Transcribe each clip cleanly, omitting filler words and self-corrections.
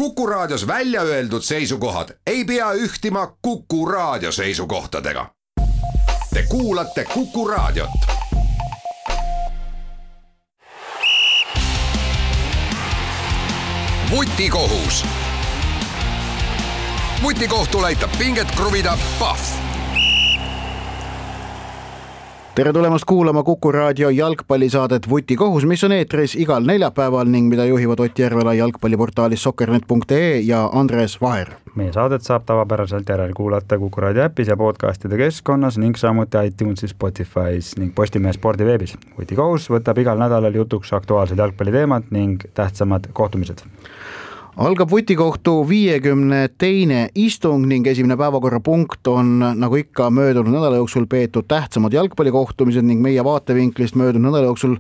Kuku Raadios välja öeldud seisukohad ei pea ühtima Kuku Raadio seisukohtadega. Te kuulate Kuku Raadiot. Vutikohus. Vutikohtul aitab pinget kruvida Pahv. Tere tulemast kuulama Kuku Raadio jalgpallisaadet Vutikohus, mis on eetris igal neljapäeval ning mida juhivad Ott Järvela jalgpalliportaalis soccernet.ee ja Andres Vaher. Meie saadet saab tavapäraselt järel kuulata Kuku Raadio äpis ja podcastide keskkonnas ning samuti iTunesis, Spotify's ning Postimehe spordiveebis. Vutikohus võtab igal nädalal jutuks aktuaalsed jalgpalliteemad ning tähtsamad kohtumised. Algab Vutikohtu 52. istung ning esimene päevakorrapunkt on nagu ikka möödunud nädala jooksul peetud tähtsamad jalgpallikohtumised ning meie vaatevinklist möödunud nädala jooksul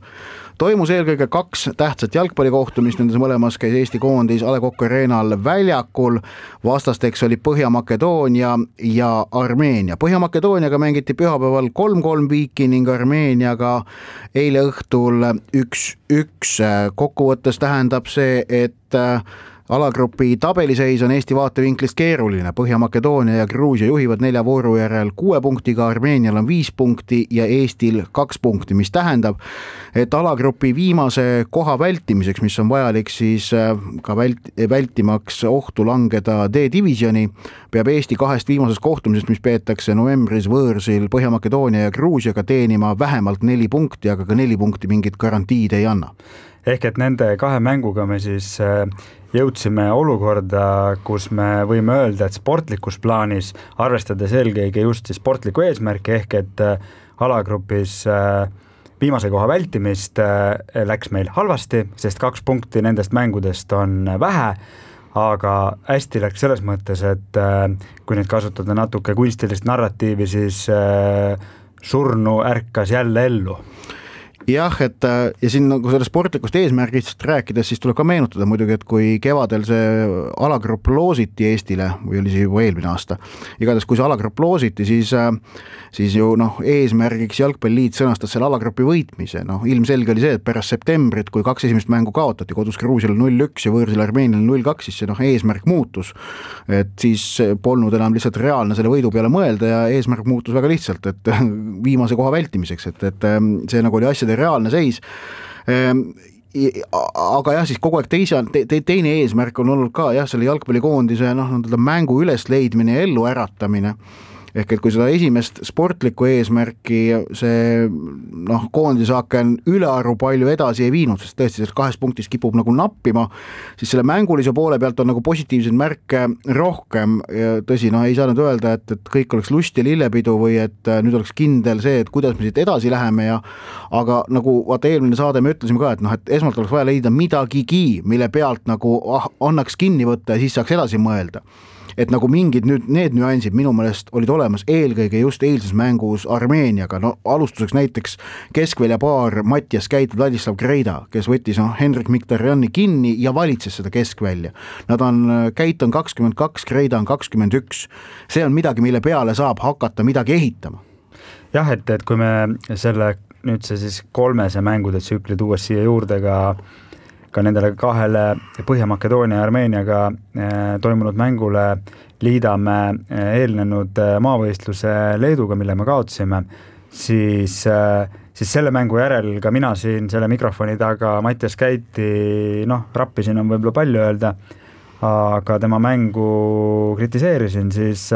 toimus eelkõige 2 tähtsat jalgpallikohtumist, nendes mõlemas käis Eesti koondis A. Le Coq Arena'l väljakul. Vastasteks oli Põhja-Makedoonia ja Armeenia. Põhja-Makedooniaga mängiti pühapäeval 3-3 viiki ning Armeeniaga eile õhtul 1-1. Kokkuvõttes tähendab see, et alagrupi tabeliseis on Eesti vaatevinklist keeruline. Põhja-Makedoonia ja Gruusia juhivad 4 vooru järel 6 punktiga, Armeenial on 5 punkti ja Eestil 2 punkti, mis tähendab, et alagrupi viimase koha vältimiseks, mis on vajalik siis ka vältimaks ohtu langeda D-divisioni, peab Eesti 2 viimasest kohtumisest, mis peetakse novembris võõrsil Põhja-Makedoonia ja Gruusiaga teenima vähemalt 4 punkti, aga ka 4 punkti mingit garantiid ei anna. Ehk et nende 2 mänguga me siis jõudsime olukorda, kus me võime öelda, et sportlikus plaanis, arvestades eelkõige just sportliku eesmärki, ehk et alagrupis viimase koha vältimist läks meil halvasti, sest 2 punkti nendest mängudest on vähe, aga hästi läks selles mõttes, et kui nüüd kasutada natuke kunstilist narratiivi, siis surnu ärkas jälle ellu. Jah, et ja siin nagu selle sportlikust eesmärgist rääkides, siis tuleb ka meenutada muidugi, et kui kevadel see alagrupp loositi Eestile, või oli see juba eelmine aasta, igatahes kui see alagrupp loositi, siis ju eesmärgiks Jalgpalliliit sõnastas selle alagrupi võitmise. Ilmselge oli see, et pärast septembrit, kui 2 esimest mängu kaotati, kodus Gruusial 0-1 ja võõrsil Armeenial 0-2, siis see eesmärk muutus. Et siis polnud enam lihtsalt reaalne selle võidu peale mõelda ja eesmärk muutus väga lihtsalt, et viimase koha vältimiseks, et see nagu oli asjade reaalne seis. Aga jah, siis kogu aeg teine eesmärk on olnud ka selle jalgpallikoondise mängu ülesleidmine ja ellu äratamine. Ehk et kui seda esimest sportlikku eesmärki see koondisaaken ülearu palju edasi ei viinud, sest tõesti sellest 2 punktis kipub nagu nappima, siis selle mängulise poole pealt on nagu positiivseid märke rohkem. Ja tõsi, ei saa nüüd öelda, et kõik oleks lust ja lillepidu või et nüüd oleks kindel see, et kuidas me siit edasi läheme. Aga nagu vaata eelmine saade me ütlesime ka, et esmalt oleks vaja leida midagigi, mille pealt nagu annaks kinni võtta ja siis saaks edasi mõelda. Et nagu mingid nüüd need nüansid minu meelest olid olemas eelkõige just eilses mängus Armeeniaga. Alustuseks näiteks keskväljapaar Mattias Käit, Vladislav Greida, kes võttis Henrik Mkhitarjani kinni ja valitses seda keskvälja. Käit on 22, Greida on 21. See on midagi, mille peale saab hakata midagi ehitama. Jah, et kui me selle nüüd see siis 3 mängude tsükli tuues siia juurde ka nendele 2 Põhja-Makedoonia ja Armeeniaga toimunud mängule liidame eelnenud maavõistluse Leeduga, mille me kaotasime, siis selle mängu järel ka mina siin selle mikrofoni taga Mattias Käiti, rappisin on võib-olla palju öelda, aga tema mängu kritiseerisin, siis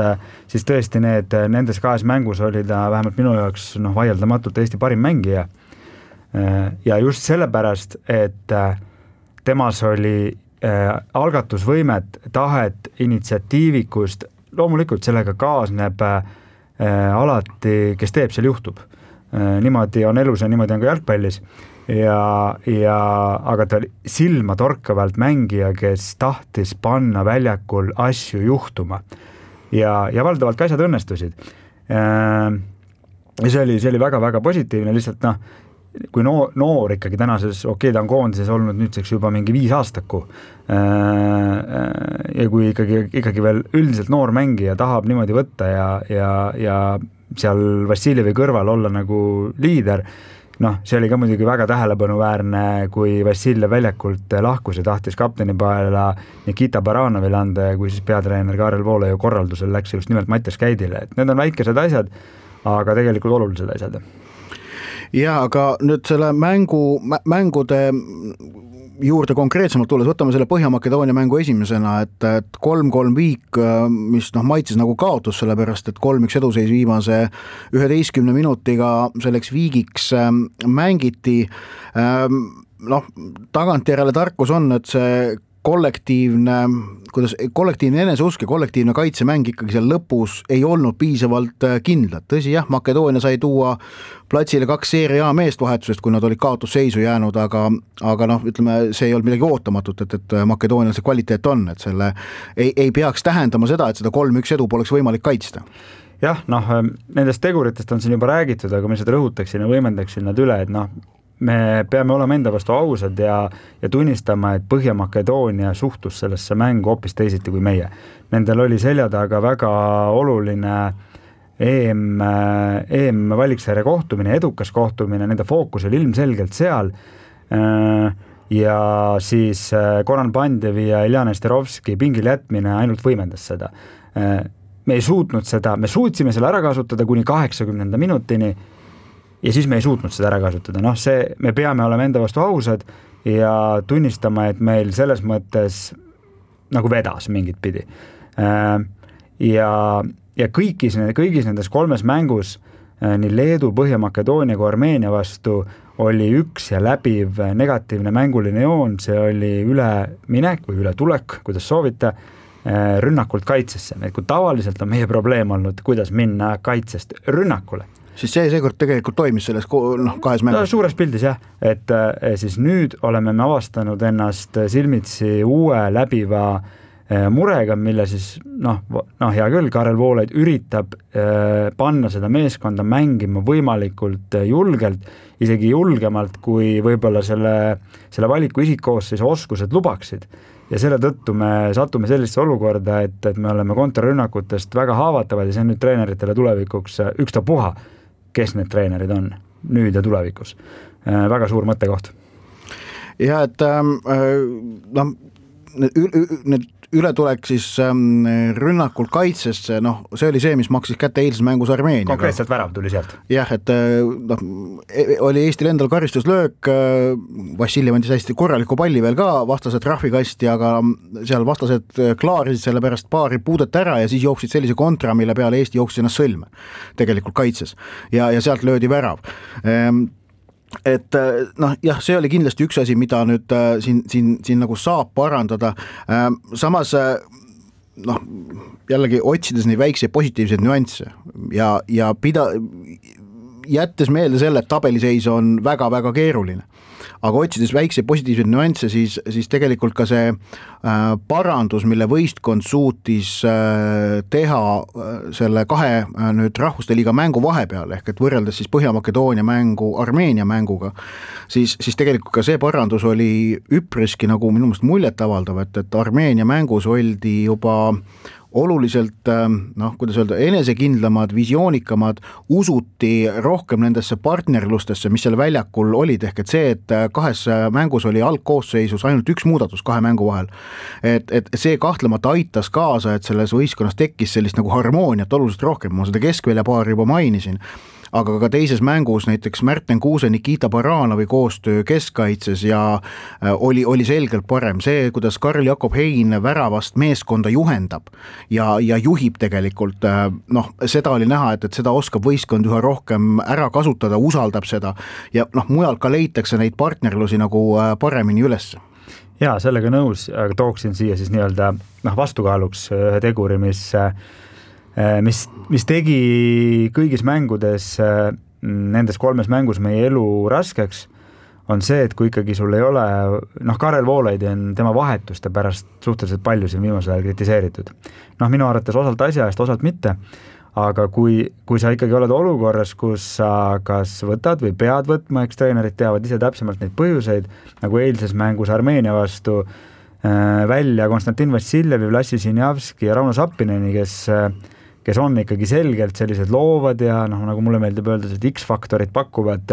tõesti nendes 2 mängus oli ta vähemalt minu jaoks vaieldamatult Eesti parim mängija. Ja just sellepärast, et temas oli algatusvõimet, tahet, initsiatiivikust, loomulikult sellega kaasneb alati, kes teeb, seal juhtub. Niimoodi on elus ja niimoodi on ka jalgpallis. Aga ta oli silma torkavalt mängija, kes tahtis panna väljakul asju juhtuma. Ja valdavalt ka asjad õnnestusid. See oli väga-väga positiivne, lihtsalt kui noor ikkagi tänases, ta on koondises olnud nüüdseks juba mingi 5 aastaku ja kui ikkagi veel üldiselt noor mängija tahab niimoodi võtta ja seal Vassiljevi kõrval olla nagu liider, noh, see oli ka muidugi väga tähelepanuväärne, kui Vassiljev väljakult lahkus ja tahtis kapteni paela Nikita Baranovile anda ja kui siis peatreener Karel Voolaia korraldusel läks just nimelt Mattias Käidile, et need on väikesed asjad, aga tegelikult olulised asjad. Ja aga nüüd selle mängude juurde konkreetsemalt tulles, võtame selle Põhja-Makedoonia mängu esimesena, et 3-3 viik, mis maitses nagu kaotus, sellepärast et 3-1 eduseis viimase 11 minutiga selleks viigiks mängiti. Tagantjärele tarkus on, et see kollektiivne eneseusk ja kollektiivne kaitsemäng ikkagi seal lõpus ei olnud piisavalt kindlad. Tõsi jah, Makedoonia sai tuua platsile 2 seeria meest vahetusest, kui nad olid kaotusseisu jäänud, aga ütleme, see ei olnud midagi ootamatut, et Makedoonial see kvaliteet on, et selle ei peaks tähendama seda, et seda 3-1 edu poleks võimalik kaitsta. Jah, nendest teguritest on siin juba räägitud, aga ma seda rõhutaksin ja võimendaksin nad üle, et me peame olema enda vastu ausad ja tunnistama, et Põhja-Makedoonia suhtus sellesse mängu hoopis teisiti kui meie. Nendel oli selja taga väga oluline EM valiksarja kohtumine, edukas kohtumine, nende fookus oli ilmselgelt seal ja siis Goran Pandjevi ja Iljana Esterovski pingil jätmine ainult võimendas seda. Me ei suutnud seda, me suutsime selle ära kasutada kuni 80. minutini ja siis me ei suutnud seda ära kasutada. Me peame olema enda vastu ausad ja tunnistama, et meil selles mõttes nagu vedas mingit pidi. Ja kõigis nendes 3 mängus, nii Leedu, Põhja-Makedoonia kui Armeenia vastu, oli üks ja läbiv negatiivne mänguline joon, see oli üleminek või ületulek, kuidas soovite, rünnakult kaitsesse. Kui tavaliselt on meie probleem olnud, kuidas minna kaitsest rünnakule. Siis see seekord tegelikult toimis selles 2 mängus? Suures pildis jah, et siis nüüd oleme me avastanud ennast silmitsi uue läbiva murega, mille siis hea küll, Karel Voolaid üritab panna seda meeskonda mängima võimalikult julgelt, isegi julgemalt, kui võib-olla selle valiku isikkoosseis oskused lubaksid. Ja selle tõttu me satume sellisse olukorda, et me oleme kontrarünnakutest väga haavatavad ja see on nüüd treeneritele tulevikuks ükstapuha, kes need treenerid on nüüd ja tulevikus. Väga suur mõttekoht. Ja et need ületulek siis rünnakult kaitsesse, see oli see, mis maksis kätte eilses mängus Armeeniaga. Konkreetselt värav tuli sealt. Jah, et oli Eestil endal karistuslöök, Vassiljev andis hästi korraliku palli veel ka vastased trahvikasti, aga seal vastased klaarisid selle pärast paari puudet ära ja siis jooksid sellise kontra, mille peale Eesti jooksis ennast sõlme tegelikult kaitses ja sealt löödi värav. Et jah, see oli kindlasti üks asi, mida nüüd siin nagu saab parandada. Samas jällegi otsides neid väikseid positiivseid nüansse ja jättes meelde selle, et tabeliseis on väga-väga keeruline. Aga otsides väikseid positiivseid nüansse, siis tegelikult ka see parandus, mille võistkond suutis teha selle 2 nüüd rahvuste liiga mängu vahepeal, ehk et võrreldes siis Põhja-Makedoonia mängu Armeenia mänguga, siis tegelikult ka see parandus oli üpriski nagu minu meelest muljetavaldav, et Armeenia mängus oldi juba oluliselt, kuidas öelda, enesekindlamad, visioonikamad, usuti rohkem nendesse partnerlustesse, mis seal väljakul olid, ehk et see, et 2 mängus oli algkoosseisus ainult 1 muudatus 2 mängu vahel. Et see kahtlemata aitas kaasa, et selles võistkonnas tekkis sellist nagu harmooniat oluliselt rohkem, ma seda keskväljapaari juba mainisin, aga ka teises mängus näiteks Märten Kuuse, Nikita Baranovi koostöö keskkaitses ja oli selgelt parem. See, kuidas Karl Jakob Hein väravast meeskonda juhendab ja juhib tegelikult, seda oli näha, et seda oskab võistkond üha rohkem ära kasutada, usaldab seda ja mujal ka leitakse neid partnerlusi nagu paremini üles. Jaa, sellega nõus, aga tooksin siia siis nii-öelda vastukaaluks ühe teguri, mis tegi kõigis mängudes, nendes 3 mängus meie elu raskeks, on see, et kui ikkagi sul ei ole, Karel Voolaid on tema vahetuste pärast suhteliselt palju siin viimasel ajal kritiseeritud. Minu arvates osalt asja eest, osalt mitte, aga kui sa ikkagi oled olukorras, kus sa kas võtad või pead võtma, eks treenerid teavad ise täpsemalt neid põhjuseid, nagu eilses mängus Armeenia vastu välja Konstantin Vassiljevi, Vlassi Sinjavski ja Rauno Sappineni, kes on ikkagi selgelt sellised loovad ja nagu mulle meeldib öelda, X-faktorit pakkuvad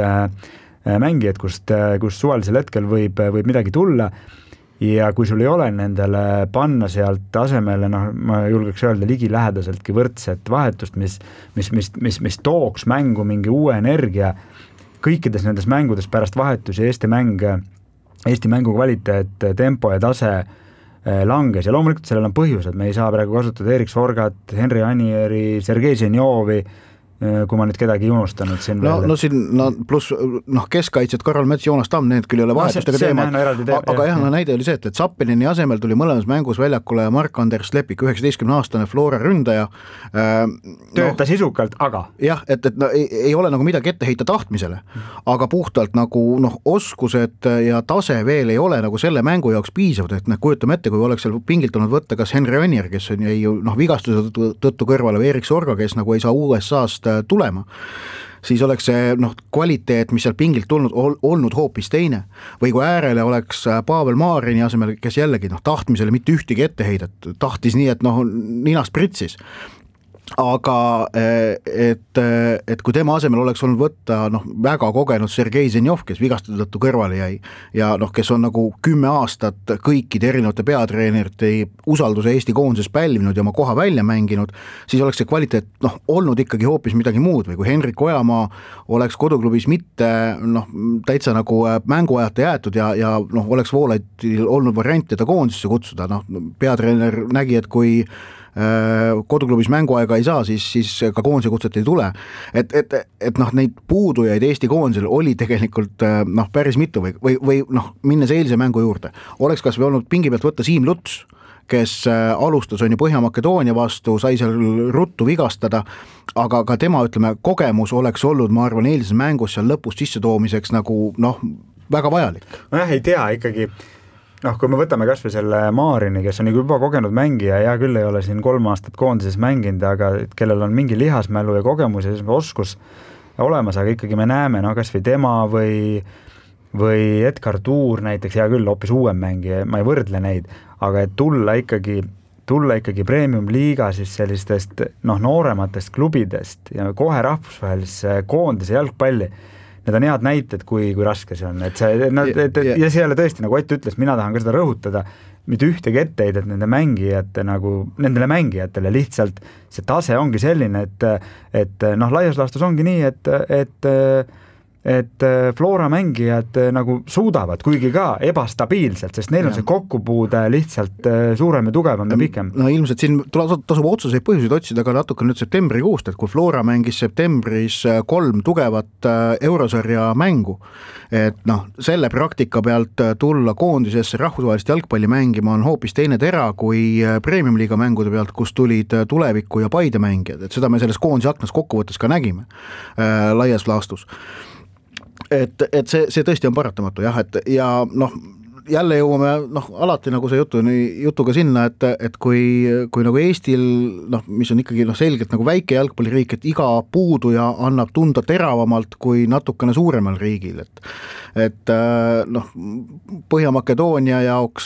mängijad, kust suvalisel hetkel võib midagi tulla ja kui sul ei ole nendele panna sealt asemele, ma julgeks öelda ligilähedaseltki võrdset vahetust, mis tooks mängu mingi uue energia, kõikides nendes mängudes pärast vahetusi Eesti mängu kvaliteet, tempo ja tase langes ja loomulikult sellel on põhjus, et me ei saa praegu kasutada Erik Sorgat, Henri Anieri, Sergei Zenjovi, kui ma nüüd kedagi ei unustanud siin pluss keskkaitsjad Karol Mets, Joonas Tamm, need küll ei ole vahetustega teemad, aga jah, näide oli see, et Zappelini asemel tuli mõlemas mängus väljakule Mark-Anders Lepik, 19-aastane Flora ründaja. Tööta sisukalt, aga? Jah, et ei ole nagu midagi ette heita tahtmisele, aga puhtalt nagu oskused ja tase veel ei ole nagu selle mängu jaoks piisavad, et kujutame ette, kui oleks seal pingilt olnud võtta kas Henri Anier, kes on jäi vigastuse tõttu kõrvale, või Erik Sorga, kes nagu ei saa USA-st tulema, siis oleks see kvaliteet, mis seal pingilt tulnud, olnud hoopis teine. Või kui äärele oleks Pavel Maarini asemel, kes jällegi tahtmisele mitte ühtegi etteheidet, tahtis nii, et ninast pritsis. Aga et kui tema asemel oleks olnud võtta väga kogenud Sergei Zenjov, kes vigastada tõttu kõrvale jäi ja kes on nagu 10 aastat kõikide erinevate peatreenerite usalduse Eesti koondises pälvinud ja oma koha välja mänginud, siis oleks see kvaliteet olnud ikkagi hoopis midagi muud. Või kui Henrik Ojamaa oleks koduklubis mitte täitsa nagu mänguajata jäetud ja oleks Voolaidil olnud variant teda koondisse kutsuda, peatreener nägi, et kui koduklubis mänguaega ei saa, siis ka koondise kutset ei tule. Et neid puudujaid Eesti koondisel oli tegelikult päris mitu või minnes eilse mängu juurde. Oleks kas või olnud pingi pealt võtta Siim Luts, kes alustas on ju Põhja-Makedoonia vastu, sai seal ruttu vigastada, aga ka tema, kogemus oleks olnud, ma arvan, eilses mängus seal lõpus sisse toomiseks nagu väga vajalik. Ei tea ikkagi. Kui me võtame kas või selle Maarini, kes on juba kogenud mängija, ja küll ei ole siin 3 aastat koondises mänginud, aga kellel on mingi lihasmälu ja kogemus ja oskus olemas, aga ikkagi me näeme kas või tema või Edgar Tuur näiteks, ja küll hoopis uuem mängija, ma ei võrdle neid, aga et tulla ikkagi premium-liiga siis sellistest noorematest klubidest ja kohe rahvusvahelisse koondise jalgpalli, need on head näited, kui raske see on. Ja see ei ole tõesti, nagu Ott ütles, mina tahan ka seda rõhutada, mitte ühtegi etteheidet nendele mängijatele, lihtsalt see tase ongi selline, et laias laastus ongi nii, et Flora mängijad nagu suudavad, kuigi ka ebastabiilselt, sest neil on see kokkupuude lihtsalt suurem ja tugevam ja pikem. Ilmselt siin tasub otsuseid põhjuseid otsida ka natuke nüüd septembrikuust, et kui Flora mängis septembris 3 tugevat eurosarja mängu, et selle praktika pealt tulla koondisesse rahvusvahelist jalgpalli mängima on hoopis teine tera kui premium-liiga mängude pealt, kus tulid Tuleviku ja Paide mängijad, et seda me selles koondise aknas kokkuvõttes ka nägime laias laastus. Et see tõesti on paratamatu jah, ja jälle jõuame alati nagu see jutuga sinna, et kui nagu Eestil, mis on ikkagi selgelt nagu väike jalgpalliriik, et iga puuduja annab tunda teravamalt kui natukene suuremal riigil, et Põhja-Makedoonia jaoks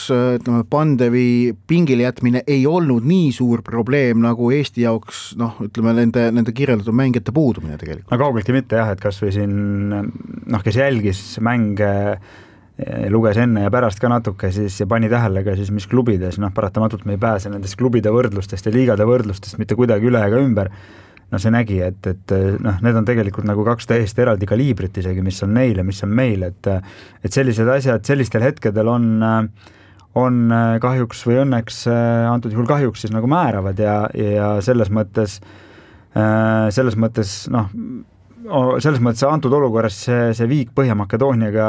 Pandevi pingile jätmine ei olnud nii suur probleem nagu Eesti jaoks, nende kirjeldatud mängijate puudumine tegelikult. Kaugeltki mitte jah, et kas või siin, kes jälgis mänge, luges enne ja pärast ka natuke siis ja pani tähele ka siis, mis klubides, paratamatult me ei pääse nendest klubide võrdlustest ja liigade võrdlustest mitte kuidagi üle ega ümber. See nägi, et need on tegelikult nagu 2 täiesti eraldi kaliibrit isegi, mis on neil ja mis on meil, et sellised asjad sellistel hetkedel on kahjuks või õnneks antud juhul kahjuks siis nagu määravad ja selles mõttes antud olukorras see viik Põhja-Makedooniaga,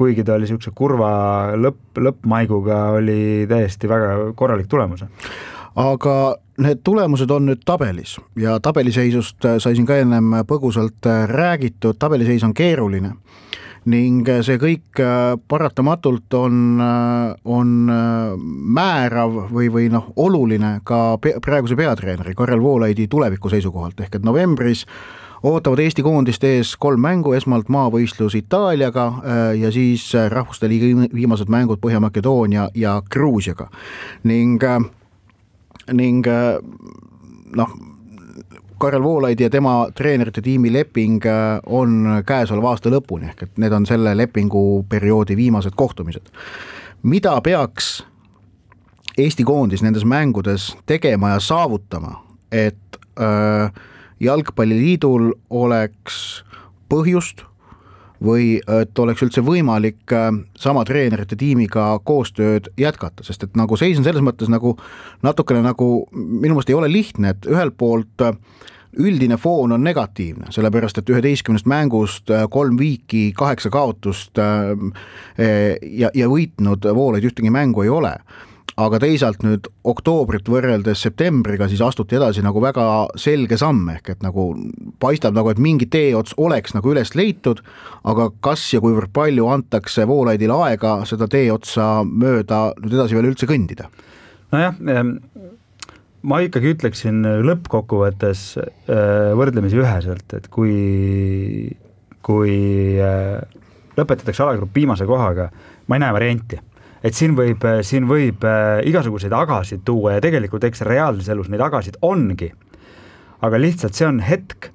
kuigi ta oli niisuguse kurva lõppmaiguga, oli täiesti väga korralik tulemus. Aga need tulemused on nüüd tabelis ja tabeliseisust sai siin ka ennem põgusalt räägitud, tabeliseis on keeruline ning see kõik paratamatult on määrav või oluline ka praeguse peatreeneri Karel Voolaidi tuleviku seisukohalt, ehk et novembris ootavad Eesti koondist ees 3 mängu, esmalt maavõistlus Itaaliaga ja siis rahvuste liiga viimased mängud Põhja-Makedoonia ja Gruusiaga. Ning Karel Voolaid ja tema treenerite tiimi leping on käesoleva aasta lõpuni, ehk et need on selle lepinguperioodi viimased kohtumised. Mida peaks Eesti koondis nendes mängudes tegema ja saavutama, et jalgpalliliidul oleks põhjust või et oleks üldse võimalik sama treenerite tiimiga koostööd jätkata, sest et nagu seis on selles mõttes nagu natukene nagu minu meelest ei ole lihtne, et ühelt poolt üldine foon on negatiivne, sellepärast et 11 mängust 3 viiki, 8 kaotust ja võitnud Voolaid ühtegi mängu ei ole. Aga teisalt nüüd oktoobrit võrreldes septembriga siis astuti edasi nagu väga selge samm, ehk et nagu paistab nagu, et mingi teeots oleks nagu üles leitud, aga kas ja kuivõrd palju antakse Voolaidile aega seda teeotsa mööda nüüd edasi veel üldse kõndida? Nojah, ma ikkagi ütleksin lõppkokkuvõttes võrdlemisi üheselt, et kui lõpetatakse alagrupp viimase kohaga, ma ei näe varianti. Et siin võib igasuguseid agasid tuua ja tegelikult eks reaalses elus neid agasid ongi, aga lihtsalt see on hetk,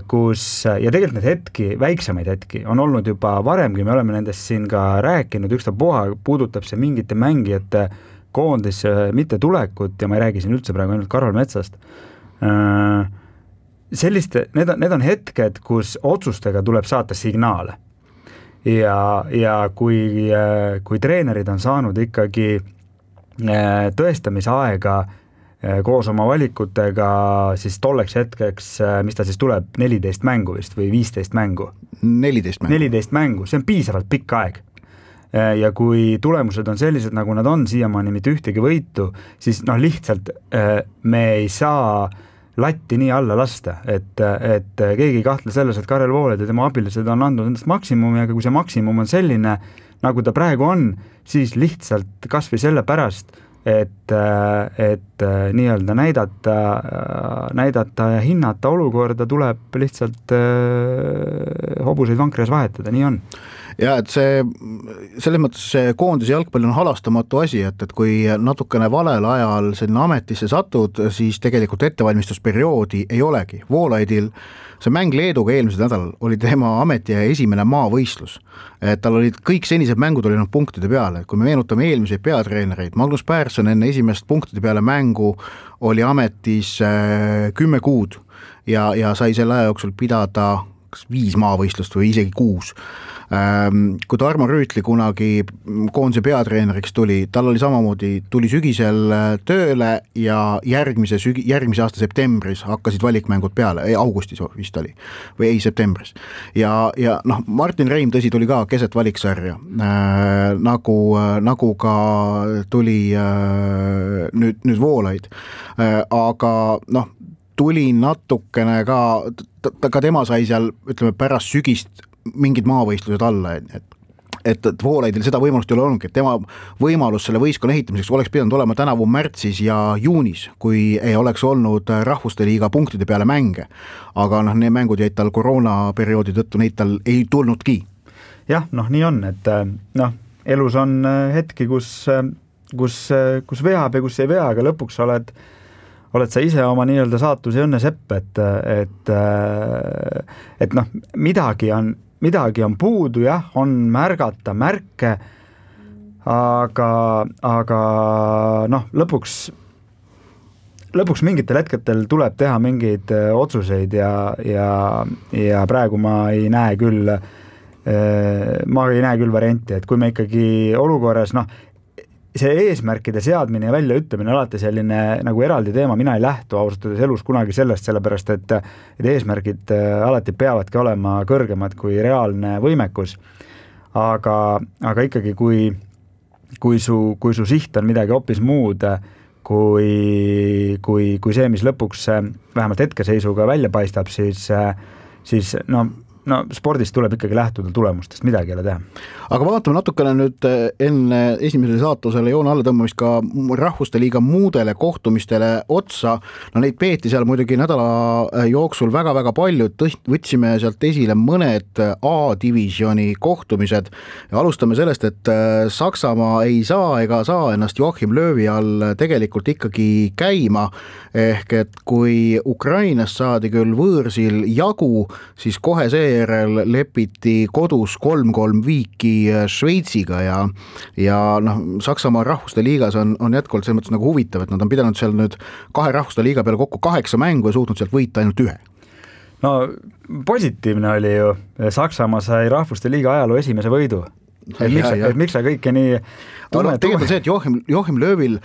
kus, ja tegelikult need hetki, väiksemaid hetki on olnud juba varemgi, me oleme nendest siin ka rääkinud, ükstapuha puudutab see mingite mängijate koondisse mitte tulekut ja ma ei räägi siin üldse praegu ainult Karol Metsast. Need on hetked, kus otsustega tuleb saata signaale. Ja kui treenerid on saanud ikkagi tõestamise aega koos oma valikutega, siis tolleks hetkeks, mis ta siis tuleb, 14 mängu vist või 15 mängu? 14 mängu, see on piisavalt pikk aeg. Ja kui tulemused on sellised, nagu nad on siiamaani mitte ühtegi võitu, siis lihtsalt me ei saa latti nii alla lasta, et keegi ei kahtle selles, et Karel Voolaid ja tema abilised on andnud endast maksimumi, aga kui see maksimum on selline, nagu ta praegu on, siis lihtsalt kas või selle pärast, et nii-öelda näidata ja hinnata olukorda, tuleb lihtsalt hobuseid vankrias vahetada, nii on. Ja et selles mõttes see koondise jalgpall on halastamatu asi, et kui natukene valel ajal selline ametisse satud, siis tegelikult ettevalmistusperioodi ei olegi. Voolaidil see mäng Leeduga eelmisel nädalal oli tema ameti esimene maavõistlus. Et tal olid kõik senised mängud olid punktide peale. Kui me meenutame eelmiseid peatreenereid, Magnus Persson enne esimest punktide peale mängu oli ametis 10 kuud ja sai selle aja jooksul pidada 5 maavõistlust või isegi 6. Kui Tarmo Rüütli kunagi koondise peatreeneriks tuli, tal oli samamoodi, tuli sügisel tööle ja järgmise aasta septembris hakkasid valikmängud peale, augustis vist oli, või ei septembris. Ja Martin Reim tõsi tuli ka keset valiksarja, nagu ka tuli nüüd Voolaid, aga tuli natukene ka tema sai seal, ütleme, pärast sügist mingid maavõistlused alla, et Voolaidil seda võimalust ei ole olnud, et tema võimalus selle võistkonna ehitamiseks oleks pidanud olema tänavu märtsis ja juunis, kui ei oleks olnud rahvuste liiga punktide peale mänge. Aga need mängud jäid tal koroonaperioodi tõttu, neid tal ei tulnudki. Jah, nii on, et elus on hetki, kus veab ja kus ei vea, aga lõpuks oled sa ise oma nii-öelda saatus ja õnne sepp, et midagi on puudu, jah, on märgata märke, aga lõpuks mingitel hetketel tuleb teha mingeid otsuseid ja praegu ma ei näe küll varianti, et kui me ikkagi olukorras, see eesmärkide seadmine ja väljaütlemine alati selline nagu eraldi teema, mina ei lähtu ausatades elus kunagi sellest, sellepärast et eesmärgid alati peavadki olema kõrgemad kui reaalne võimekus. Aga ikkagi, kui su siht on midagi hoopis muud, kui see, mis lõpuks vähemalt hetkeseisuga välja paistab, siis no spordis tuleb ikkagi lähtuda tulemustest, midagi ei ole teha. Aga vaatame natukene nüüd enne esimesele saatusele joone alla tõmbamist ka rahvuste liiga muudele kohtumistele otsa. No neid peeti seal muidugi nädala jooksul väga-väga palju, võtsime sealt esile mõned A-divisjoni kohtumised ja alustame sellest, et Saksamaa ei saa ega saa ennast Joachim Löövi all tegelikult ikkagi käima, ehk et kui Ukrainast saadi küll võõrsil jagu, siis kohe seejärel lepiti kodus 3-3 viiki Šveitsiga ja noh, Saksamaa rahvuste liigas on jätkuvalt selles mõttes nagu huvitav, et nad on pidanud seal nüüd 2 rahvuste liiga peale kokku 8 mängu ja suutnud sealt võita ainult 1. No positiivne oli ju, Saksamaa sai rahvuste liiga ajaloo esimese võidu. Miks sa kõike nii tegelikult see, et Joachim Löövil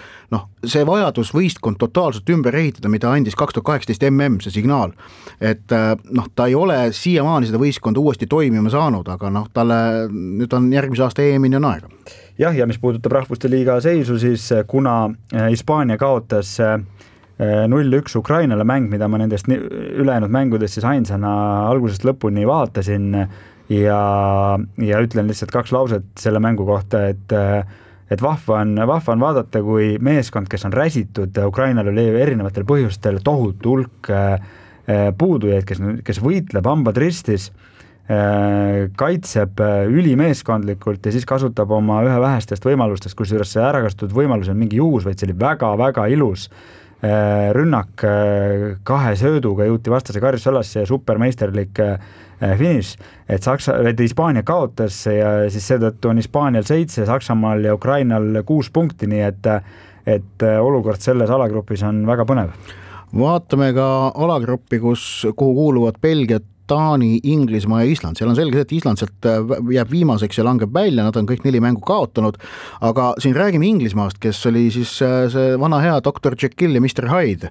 see vajadus võistkond totaalselt ümber ehitada, mida andis 2018 see signaal, et ta ei ole siiamaani seda võistkonda uuesti toimima saanud, aga talle nüüd on järgmise aasta EM-ini on aega. Jah, ja mis puudutab rahvuste liiga seisu, siis kuna Hispaania kaotas 0-1 Ukrainale mäng, mida ma nendest ülejäänud mängudest siis ainsana algusest lõpuni vaatasin, ja ütlen lihtsalt 2 lauset selle mängu kohta, et vahva on vaadata, kui meeskond, kes on räsitud, Ukrainal oli erinevatel põhjustel tohutu hulk puudujaid, kes võitleb hambad ristis, kaitseb ülimeeskondlikult ja siis kasutab oma ühe vähestest võimalustest, kusjuures see ärakasutatud võimalus on mingi juhus, vaid see oli väga-väga ilus rünnak 2 sööduga jõuti vastase karjusalasse ja supermeisterlik finiš, et Hispaania kaotas ja siis seetõttu on Hispaanial 7, Saksamaal ja Ukrainal 6 punkti, nii et olukord selles alagrupis on väga põnev. Vaatame ka alagruppi, kuhu kuuluvad Belgia, Taani, Inglismaa ja Island. Seal on selge see, et Island sealt jääb viimaseks ja langeb välja, nad on kõik 4 mängu kaotanud, aga siin räägime Inglismaast, kes oli siis see vana hea Dr. Jekyll ja Mr. Hyde,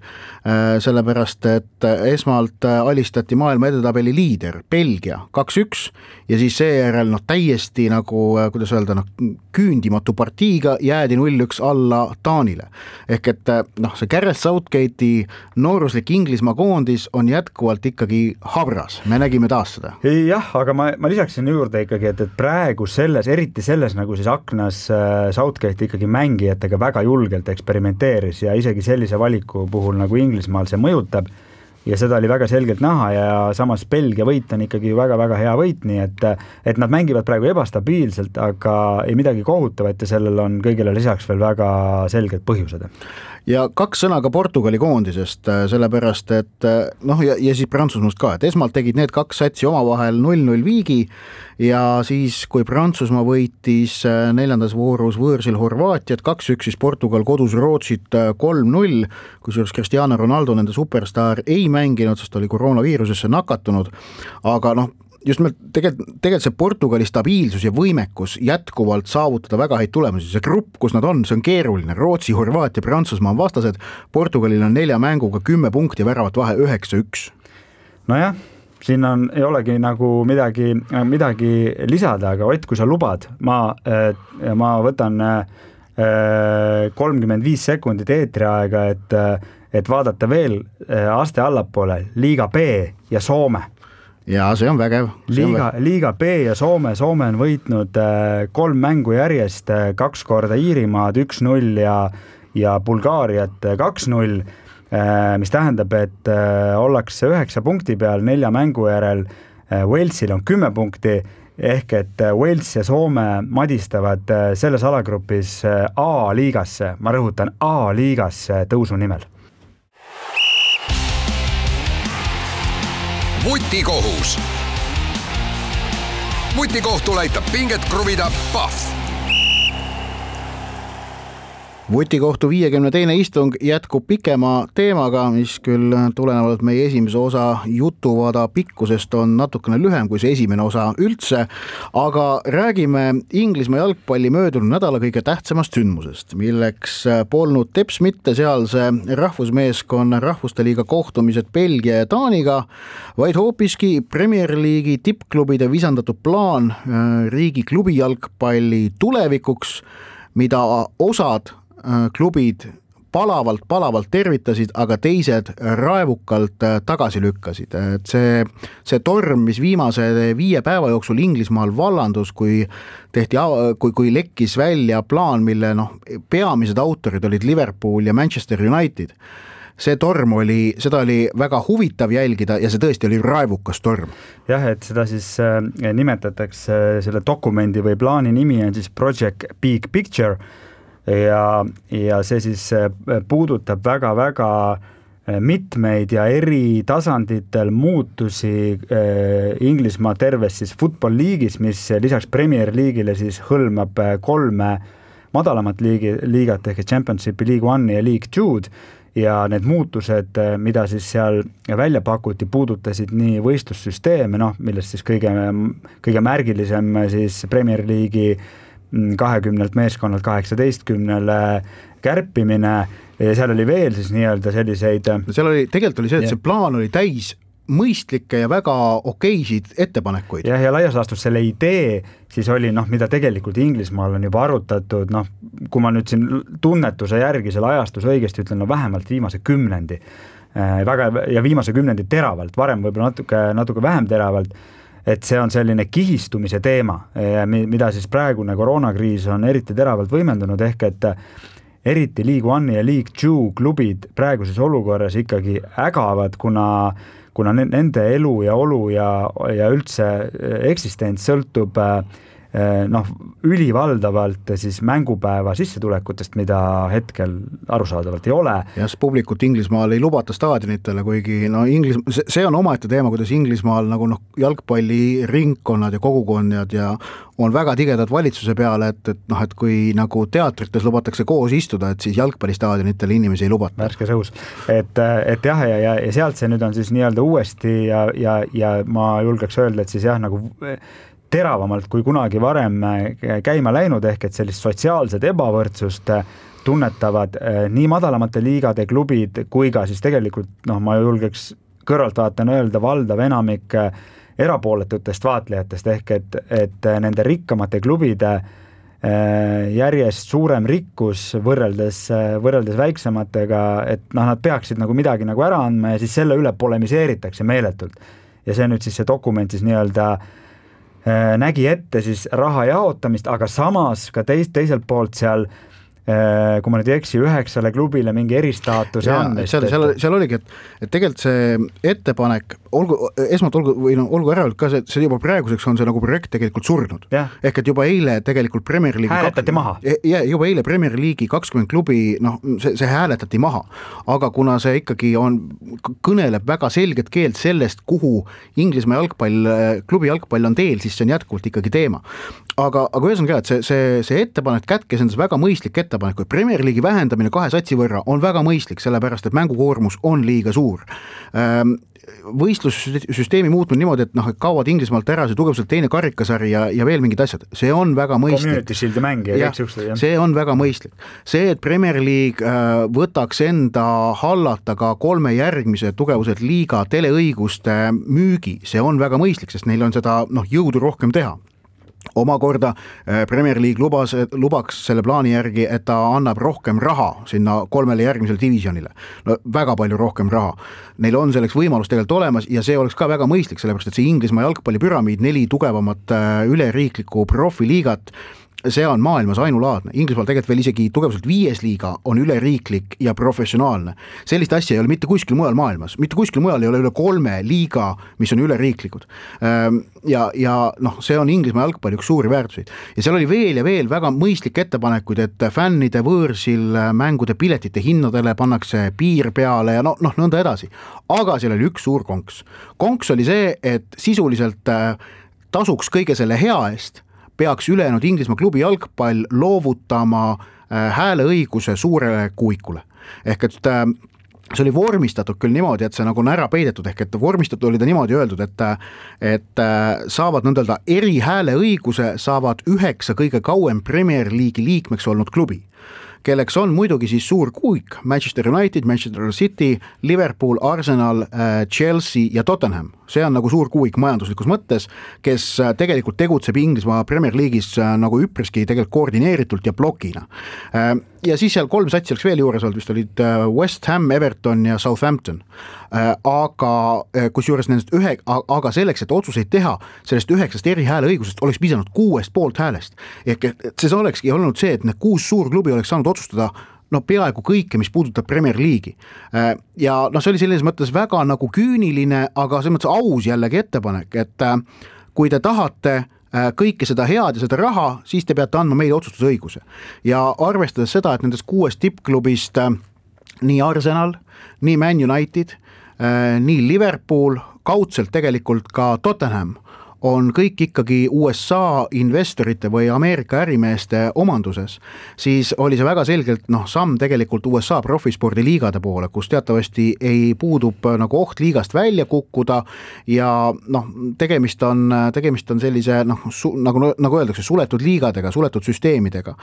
sellepärast, et esmalt alistati maailma edetabeli liider Belgia 2-1 ja siis seejärel täiesti nagu, kuidas öelda, küündimatu partiiga jäädi 0-1 alla Taanile. Ehk et see Gareth Southgate'i nooruslik Inglismaa koondis on jätkuvalt ikkagi habras. Me nägime taas seda. Jah, aga ma lisaksin juurde ikkagi, et praegu eriti selles nagu siis aknas Southgate ikkagi mängijatega väga julgelt eksperimenteeris ja isegi sellise valiku puhul nagu Inglismaal see mõjutab ja seda oli väga selgelt näha ja samas Belgia võit on ikkagi väga-väga hea võit, nii et nad mängivad praegu ebastabiilselt, aga ei midagi kohutavat ja sellel on kõigile lisaks veel väga selged põhjused. Ja 2 sõna ka Portugali koondisest, sellepärast, et ja siis Prantsusmaast ka, et esmalt tegid need 2 satsi omavahel 0-0 viigi ja siis, kui Prantsusmaa võitis 4. voorus võõrsil Horvaatiat 2-1, siis Portugal kodus Rootsit 3-0, kusjuures Cristiano Ronaldo, nende superstaar, ei mänginud, sest oli koroonaviirusesse nakatunud, aga just tegelikult see Portugali stabiilsus ja võimekus jätkuvalt saavutada väga häid tulemusi. See grupp, kus nad on, see on keeruline. Rootsi, Horvaatia, Prantsusmaa on vastased. Portugalil on 4 mänguga 10 punkti, väravat vahe 9-1. Nojah, siin ei olegi nagu midagi lisada, aga Ott, kui sa lubad, ma võtan 35 sekundit eetriaega, et vaadata veel aste allapoole Liiga B ja Soome. Ja see on vägev. Liiga B ja Soome on võitnud 3 mängu järjest, 2 korda Iirimaad 1-0 ja Bulgaariat 2-0, mis tähendab, et ollakse 9 punkti peal 4 mängu järel, Walesil on 10 punkti, ehk et Wales ja Soome madistavad selles alagrupis A-liigasse, ma rõhutan A-liigasse tõusu nimel. Vutikohus. Vutikohtul aitab pinget kruvida Pahv. Vutikohtu 52. istung jätkub pikema teemaga, mis küll tulenevalt meie esimese osa jutuvada pikkusest on natukene lühem kui see esimene osa üldse, aga räägime Inglismaa jalgpalli möödunud nädala kõige tähtsamast sündmusest, milleks polnud teps mitte sealse rahvusmeeskonna rahvuste liiga kohtumised Belgia ja Taaniga, vaid hoopiski Premier League'i tippklubide visandatud plaan riigi klubijalgpalli tulevikuks, mida osad klubid palavalt tervitasid, aga teised raevukalt tagasi lükkasid. Et see torm, mis viimase 5 päeva jooksul Inglismaal vallandus, kui lekkis välja plaan, mille peamised autorid olid Liverpool ja Manchester United, see torm seda oli väga huvitav jälgida ja see tõesti oli raevukas torm. Jah, et seda siis nimetatakse, selle dokumendi või plaani nimi on siis Project Big Picture ja see siis puudutab väga-väga mitmeid ja eri tasanditel muutusi Inglismaa terves siis football liigis, mis lisaks Premier League'ile siis hõlmab 3 madalamat liigat ehk Championship League 1 ja League 2 ja need muutused, mida siis seal välja pakuti, puudutasid nii võistlussüsteeme, millest siis kõige märgilisem siis Premier League'i 20 meeskonnalt 18-le kärpimine ja seal oli veel siis nii-öelda selliseid. Tegelikult oli see, et see plaan oli täis mõistlikke ja väga okeisid ettepanekuid. Ja laias laastus selle idee siis oli, mida tegelikult Inglismaal on juba arutatud, kui ma nüüd siin tunnetuse järgi selle ajastus õigesti ütlen, vähemalt viimase 10 ja viimase 10 teravalt, varem võib-olla natuke vähem teravalt, et see on selline kihistumise teema, mida siis praegune koroonakriis on eriti teravalt võimendunud, ehk et eriti League 1 ja League 2 klubid praeguses olukorras ikkagi ägavad, kuna nende elu ja olu ja üldse eksistents sõltub ülivaldavalt siis mängupäeva sissetulekutest, mida hetkel arusaadavalt ei ole. Ja publikut Inglismaal ei lubata staadionitele, kuigi see on omaette teema, kuidas Inglismaal jalgpalliringkonnad ja kogukonnad ja on väga tigedad valitsuse peale, et kui nagu teatrites lubatakse koos istuda, et siis jalgpallistaadionitele inimesi ei lubata. Värskes õhus. Et jah, ja sealt see nüüd on siis nii-öelda uuesti ja ma julgeks öelda, et siis jah, nagu teravamalt kui kunagi varem käima läinud, ehk et sellist sotsiaalset ebavõrdsust tunnetavad nii madalamate liigade klubid kui ka siis tegelikult, ma julgeks kõrvaltvaatena öelda valdav enamik erapooletutest vaatlejatest, ehk et nende rikkamate klubide järjest suurem rikkus võrreldes väiksematega, et nad peaksid nagu midagi nagu ära andma ja siis selle üle polemiseeritakse meeletult. Ja see nüüd siis see dokument siis nii-öelda nägi ette siis raha jaotamist, aga samas ka teiselt poolt seal, kui ma nüüd ei eksi, 9 klubile mingi eristaatuse andmist. Seal oligi, et tegelikult see ettepanek, olgu ära ka see juba praeguseks on see nagu projekt tegelikult surnud. Ehk et juba eile tegelikult Premier League hääletati maha. Juba eile Premier League'i 20 klubi, see hääletati maha, aga kuna see ikkagi kõneleb väga selget keelt sellest, kuhu Inglismaa klubi jalgpall on teel, siis see on jätkuvalt ikkagi teema. Aga ühesõnaga, et see ettepanek kätkes endas väga mõistlik ettepanek, kui Premier League'i vähendamine 2 satsi võrra on väga mõistlik, sellepärast et mängukoormus on liiga suur. Võistlussüsteemi muutmine niimoodi, et kaovad Inglismaalt ära see tugevalt teine karikasari ja veel mingid asjad, see on väga mõistlik. Community Shield'i mäng ja see on väga mõistlik. See, et Premier League võtaks enda hallata ka 3 järgmise tugevuselt liiga teleõiguste müügi, see on väga mõistlik, sest neil on seda jõudu rohkem teha. Omakorda Premier League lubaks selle plaani järgi, et ta annab rohkem raha sinna 3 järgmisele divisionile. Väga palju rohkem raha. Neil on selleks võimalus tegelikult olemas ja see oleks ka väga mõistlik, sellepärast et see Inglismaa jalgpallipüramiid, 4 tugevamat üleriiklikku profiliigat, see on maailmas ainulaadne. Inglismaal tegelikult veel isegi tugevuselt 5 liiga on üleriiklik ja professionaalne. Sellist asja ei ole mitte kuskil mujal maailmas. Mitte kuskil mujal ei ole üle 3 liiga, mis on üleriiklikud. Ja see on Inglismaa jalgpalli üks suuri väärtuseid. Ja seal oli veel ja veel väga mõistlik ettepanekuid, et fännide võõrsil mängude piletite hinnadele pannakse piir peale ja nõnda edasi. Aga seal oli üks suur konks. Konks oli see, et sisuliselt tasuks kõige selle hea eest peaks ülejäänud Inglismaa klubi jalgpall loovutama hääleõiguse suurele kuuikule. Ehk et see oli vormistatud küll niimoodi, et see nagu on ära peidetud, ehk et vormistatud oli ta niimoodi öeldud, et saavad nõnda erihääleõiguse saavad 9 kõige kauem Premier League'i liikmeks olnud klubi, kelleks on muidugi siis suur kuik Manchester United, Manchester City, Liverpool, Arsenal, Chelsea ja Tottenham. See on nagu suur kuik majanduslikus mõttes, kes tegelikult tegutseb Inglismaa Premier League'is nagu üpriski tegelikult koordineeritult ja blokina. ja siis seal 3 satsi oleks veel juures olnud, vist olid West Ham, Everton ja Southampton. Aga kusjuures nendest aga selleks, et otsuseid teha, sellest 9 eri hääleõigusest oleks pidanud 6 poolt häälest. Ehk see olekski olnud see, et need 6 suurklubi oleks saanud otsustada peaaegu kõike, mis puudutab Premier League'i. Ja see oli selles mõttes väga nagu küüniline, aga selles mõttes aus jällegi ettepanek, et kui te tahate kõike seda head ja seda raha, siis te peate andma meile otsustusõiguse. Ja arvestades seda, et nendest 6 tippklubist nii Arsenal, nii Man United, nii Liverpool, kaudselt tegelikult ka Tottenham on kõik ikkagi USA investorite või Ameerika ärimeeste omanduses, siis oli see väga selgelt samm tegelikult USA profispordiliigade poole, kus teatavasti ei puudub nagu oht liigast välja kukkuda ja tegemist on sellise nagu öeldakse, suletud liigadega, suletud süsteemidega.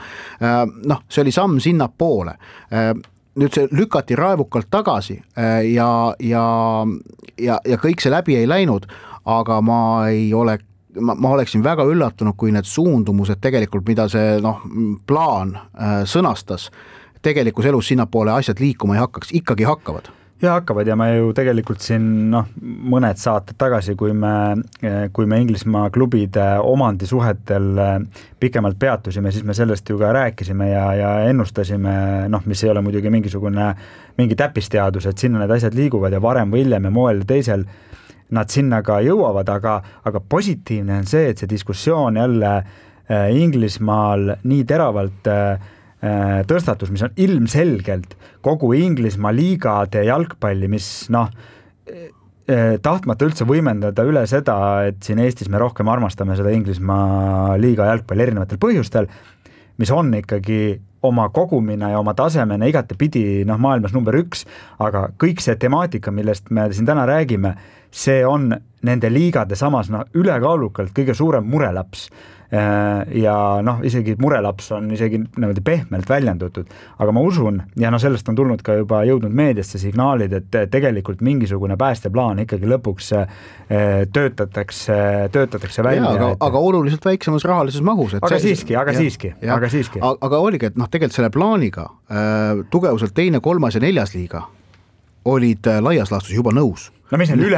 See oli samm sinna poole. Nüüd see lükati raevukalt tagasi ja kõik see läbi ei läinud, aga ma oleksin väga üllatunud, kui need suundumused tegelikult, mida see plaan sõnastas, tegelikus elus sinnapoole asjad liikuma ei hakkaks, ikkagi hakkavad. Ja hakkavad ja me ju tegelikult siin mõned saated tagasi, kui me Inglismaa klubide omandisuhetel pikemalt peatusime, siis me sellest ju ka rääkisime ja ennustasime, mis ei ole muidugi mingi täppisteadus, et sinna need asjad liiguvad ja varem või hiljem ja moel teisel nad sinna ka jõuavad, aga positiivne on see, et see diskussioon jälle Inglismaal nii teravalt tõstatus, mis on ilmselgelt kogu Inglismaa liigade jalgpalli, mis tahtmata üldse võimendada üle seda, et siin Eestis me rohkem armastame seda Inglismaa liiga jalgpalli erinevatel põhjustel, mis on ikkagi oma kogumina ja oma tasemena igatepidi maailmas number 1, aga kõik see temaatika, millest me siin täna räägime, see on nende liigade samas ülekaalukalt kõige suurem murelaps. Ja isegi murelaps on isegi pehmelt väljendatud, aga ma usun, ja sellest on tulnud ka juba jõudnud meediasse signaalid, et tegelikult mingisugune päästeplaan ikkagi lõpuks töötatakse välja. Aga oluliselt väiksemas rahalises mahus. Aga siiski. Aga oligi, et tegelikult selle plaaniga tugevuselt 2., 3. ja 4. liiga olid laias laastus juba nõus. Mis neil üle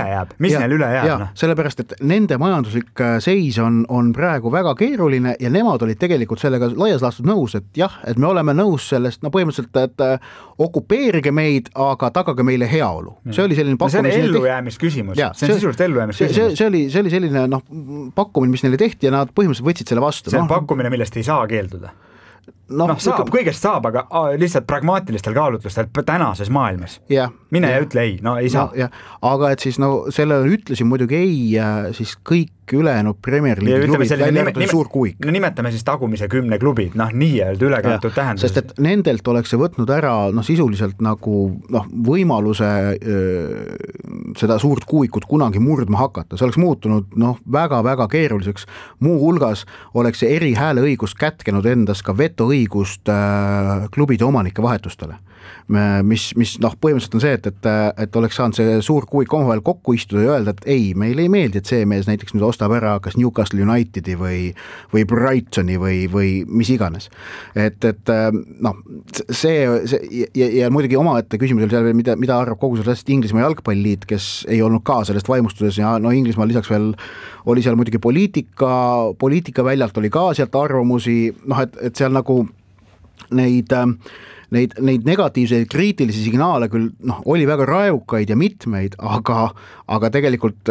jääb? Sellepärast, et nende majanduslik seis on praegu väga keeruline ja nemad olid tegelikult sellega laias laastus nõus, et jah, et me oleme nõus sellest, põhimõtteliselt, et okupeerige meid, aga tagage meile heaolu. See oli selline pakkumine. See on ellujäämisküsimus. See on sisuliselt ellujäämisküsimus. See oli selline pakkumine, mis neile tehti ja nad põhimõtteliselt võtsid selle vastu. See on pakkumine, millest ei saa keelduda. Kõigest saab, aga lihtsalt pragmaatilistel kaalutlustel tänases maailmas. Mine ja ütle ei, ei saa. Aga et siis sellele ütlesin muidugi ei siis kõik ülejäänud Premier League klubid välja arvatud suur kuik. Nimetame siis tagumise 10 klubid, nii öelda ülekantud tähendus. Sest et nendelt oleks see võtnud ära sisuliselt nagu võimaluse seda suurt kuikut kunagi murdma hakata. See oleks muutunud väga-väga keeruliseks. Muu hulgas oleks see eri hääleõigus kätkenud endas ka vetoõigust klubide omanike vahetustele. Mis põhimõtteliselt on see, et oleks saanud see suur kuik omavahel kokku istuda ja öelda, et ei, meile ei meeldi, et see mees näiteks nüüd ostab ära kas Newcastle Unitedi või Brightoni või mis iganes. See ja muidugi omaette küsimus oli seal veel, mida arvab kogu sellest Inglismaa jalgpalliliit, kes ei olnud ka sellest vaimustuses ja Inglismaa lisaks veel oli seal muidugi poliitika väljalt oli ka sealt arvamusi, et seal nagu neid negatiivseid kriitilisi signaale küll oli väga raevukaid ja mitmeid, aga tegelikult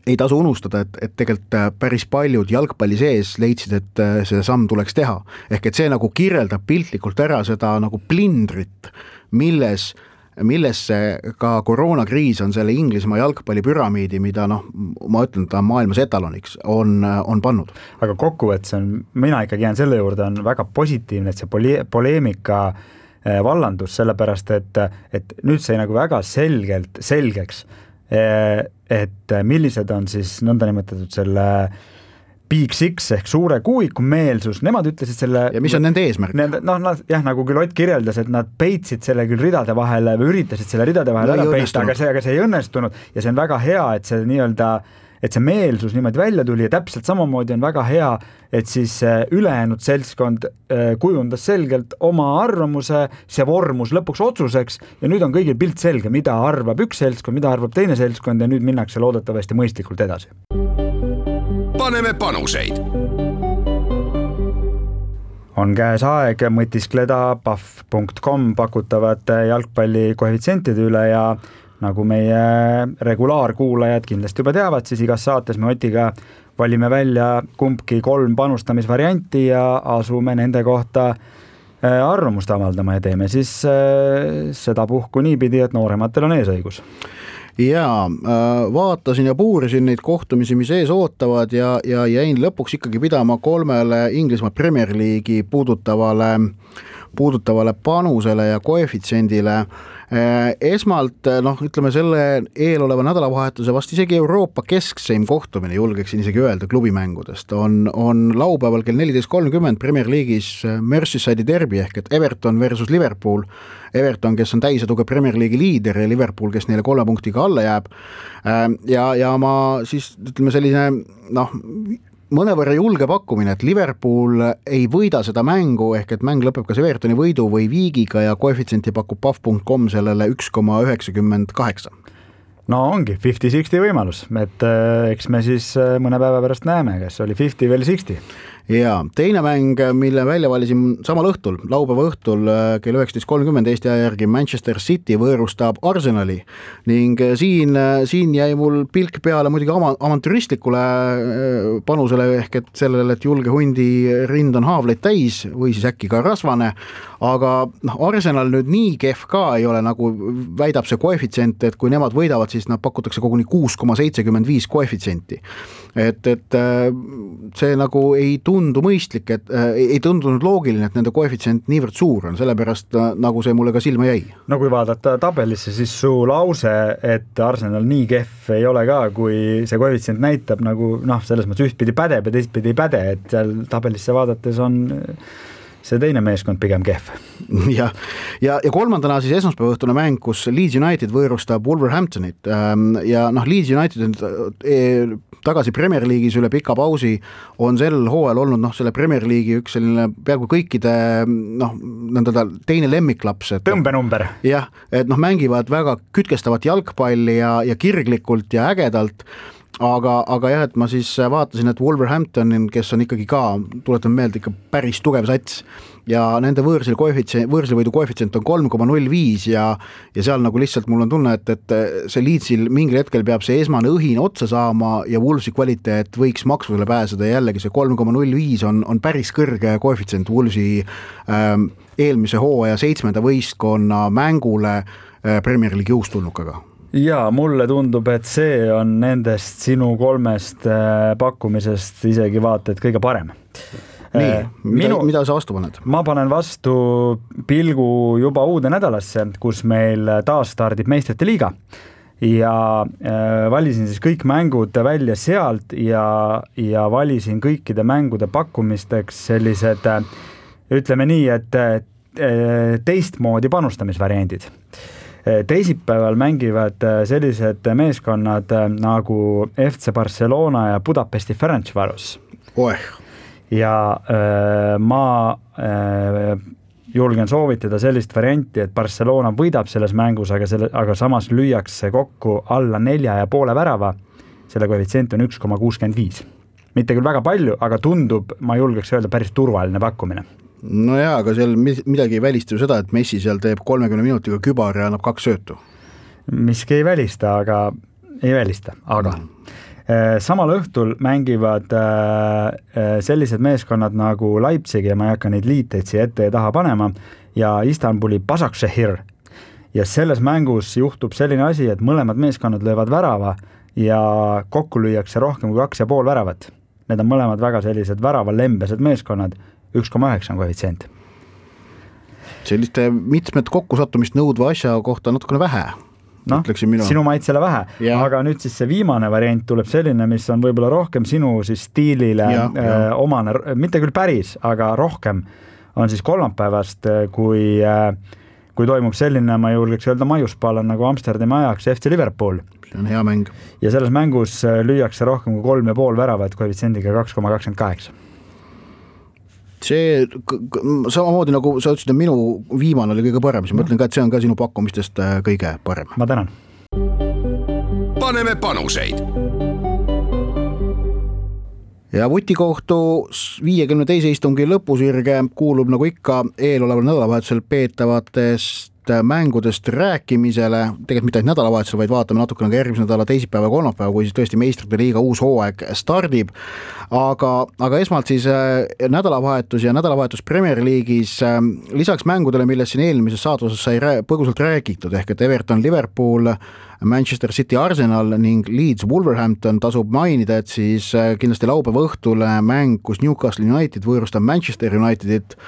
ei tasu unustada, et tegelikult päris paljud jalgpalli sees leidsid, et see samm tuleks teha. Ehk et see nagu kirjeldab piltlikult ära seda nagu plindrit, millesse ka koroonakriis on selle Inglismaa jalgpallipüramiidi, mida ma ütlen, ta maailmas etaloniks on pannud. Aga kokkuvõttes mina ikkagi jään selle juurde, on väga positiivne, et see poleemika vallandus, sellepärast, et nüüd sai nagu väga selgeks, et millised on siis nõndanimetatud selle Big Six ehk suure kuuiku meelsus, nemad ütlesid selle. Ja mis on nende eesmärk? Jah, nagu küll Ott kirjeldas, et nad peitsid selle küll ridade vahele või üritasid selle ridade vahele ära peita, aga see ei õnnestunud ja see on väga hea, et see nii-öelda et see meelsus niimoodi välja tuli ja täpselt samamoodi on väga hea, et siis ülejäänud seltskond kujundas selgelt oma arvamuse, see vormus lõpuks otsuseks ja nüüd on kõigil pilt selge, mida arvab üks seltskond, mida arvab teine seltskond ja nüüd minnakse loodetavasti mõistlikult edasi. Paneme panuseid. On käes aeg mõtiskleda paf.com pakutavate jalgpalli koefitsientide üle ja nagu meie regulaarkuulajad kindlasti juba teavad, siis igas saates me Otiga valime välja kumbki 3 panustamisvarianti ja asume nende kohta arvamust avaldama ja teeme siis seda puhku niipidi, et noorematel on eesõigus. Jaa, vaatasin ja puurisin neid kohtumisi, mis ees ootavad ja jäin lõpuks ikkagi pidama 3 Inglismaa Premier League'i puudutavale panusele ja koefitsiendile. Esmalt, ütleme selle eeloleva nädalavahetuse vast isegi Euroopa keskseim kohtumine, julgeksin isegi öelda klubimängudest, on laupäeval kell 14.30 Premier League'is Merseyside'i derbi ehk et Everton versus Liverpool. Everton, kes on täisetuge Premier League'i liider ja Liverpool, kes neile 3 punktiga alla jääb. Ja ma siis, ütleme selline, mõnevõrra julge pakkumine, et Liverpool ei võida seda mängu, ehk et mäng lõpeb kas Evertoni võidu või viigiga ja koefitsienti pakub paf.com sellele 1,98. No ongi 50-60 võimalus, et eks me siis mõne päeva pärast näeme, kas oli 50 või 60. Ja teine mäng, mille välja valisin samal õhtul, laupäeva õhtul kell 19.30 Eesti aja järgi Manchester City võõrustab Arsenali ning siin jäi mul pilk peale muidugi avantüristlikule panusele ehk et sellele, et julge hundi rind on haavleid täis või siis äkki ka rasvane, aga Arsenal nüüd nii kehv ka ei ole, nagu väidab see koefitsient, et kui nemad võidavad, siis nad pakutakse koguni 6,75 koefitsienti. Et see nagu ei tundu mõistlik, et ei tundunud loogiline, et nende koefitsient niivõrd suur on, sellepärast nagu see mulle ka silma jäi. No kui vaadata tabelisse, siis su lause, et Arsenal nii kehv ei ole ka, kui see koefitsient näitab nagu selles mõttes ühtpidi pädeb ja teistpidi ei päde, et seal tabelisse vaadates on see teine meeskond pigem kehv. Ja kolmandana siis esmaspäeva õhtune mäng, kus Leeds United võõrustab Wolverhamptonit ja Leeds United on tagasi Premier League'is üle pika pausi, on sel hooajal olnud selle Premier League'i üks selline peaaegu kõikide teine lemmiklaps. Tõmbenumber. Jah, et mängivad väga kütkestavat jalgpalli ja kirglikult ja ägedalt, aga jah, et ma siis vaatasin, et Wolverhampton, kes on ikkagi ka, tuletan meelde, ikka päris tugev sats ja nende võõrsilvõidu koefitsient on 3,05 ja seal nagu lihtsalt mul on tunne, et see Leedsil mingil hetkel peab see esmane õhin otsa saama ja Wolvesi kvaliteet võiks maksusele pääseda ja jällegi see 3,05 on päris kõrge koefitsient Wolvesi eelmise hooaja 7. võistkonna mängule Premier League'i uustulnukaga. Ja mulle tundub, et see on nendest sinu 3 pakkumisest isegi vaata, et kõige parem. Nii, mida sa vastu paned? Ma panen vastu pilgu juba uude nädalasse, kus meil taas stardib meistrite liiga ja valisin siis kõik mängud välja sealt ja valisin kõikide mängude pakkumisteks sellised, ütleme nii, et teistmoodi panustamisvariandid. Teisipäeval mängivad sellised meeskonnad nagu FC Barcelona ja Budapesti Ferencvaros. Ja ma julgen soovitada sellist varianti, et Barcelona võidab selles mängus, aga samas lüüakse kokku alla 4,5 värava. Selle koefitsient on 1,65. Mitte küll väga palju, aga tundub, ma julgeks öelda, päris turvaline pakkumine. No jaa, aga seal midagi ei välista ju seda, et Messi seal teeb 30 minutiga kübar ja annab 2 söötu. Miski ei välista, aga samal õhtul mängivad sellised meeskonnad nagu Leipzig ja ma ei hakka neid liiteid siia ette ja taha panema ja Istanbuli Başakşehir. Ja selles mängus juhtub selline asi, et mõlemad meeskonnad löövad värava ja kokku lüüakse rohkem kui 2,5 väravat. Need on mõlemad väga sellised väravalembesed meeskonnad, 1,9 koefitsient. Selliste mitmed kokkusattumist nõudva asja kohta natukene vähe. sinu maitsele vähe, aga nüüd siis see viimane variant tuleb selline, mis on võib-olla rohkem sinu siis stiilile omane, mitte küll päris, aga rohkem on siis kolmapäevast, kui toimub selline, ma julgeks öelda maiuspaal nagu Amsterdami ajaks FC Liverpool. See on hea mäng. Ja selles mängus lüüakse rohkem kui 3,5 väravat koefitsiendiga 2,28. See samamoodi nagu sa ütlesid, et minu viimane oli kõige parem, siis ma ütlen ka, et see on ka sinu pakkumistest kõige parem. Ma tänan. Paneme panuseid. Ja Vutikohtu 52. istungi lõpusirge kuulub nagu ikka eeloleval nädalavahetusel peetavatest mängudest rääkimisele, tegelikult mitte ainult nädalavahetusel, vaid vaatame natukene ka järgmise nädala teisipäeva ja kolmapäeva, kui siis tõesti meistrite liiga uus hooaeg stardib. Aga esmalt siis nädalavahetus ja nädalavahetus Premier League'is lisaks mängudele, millest siin eelmises saatuses sai põgusalt räägitud, ehk et Everton, Liverpool, Manchester City, Arsenal ning Leeds, Wolverhampton tasub mainida, et siis kindlasti laupäeva õhtul mäng, kus Newcastle United võõrustab Manchester Unitedit,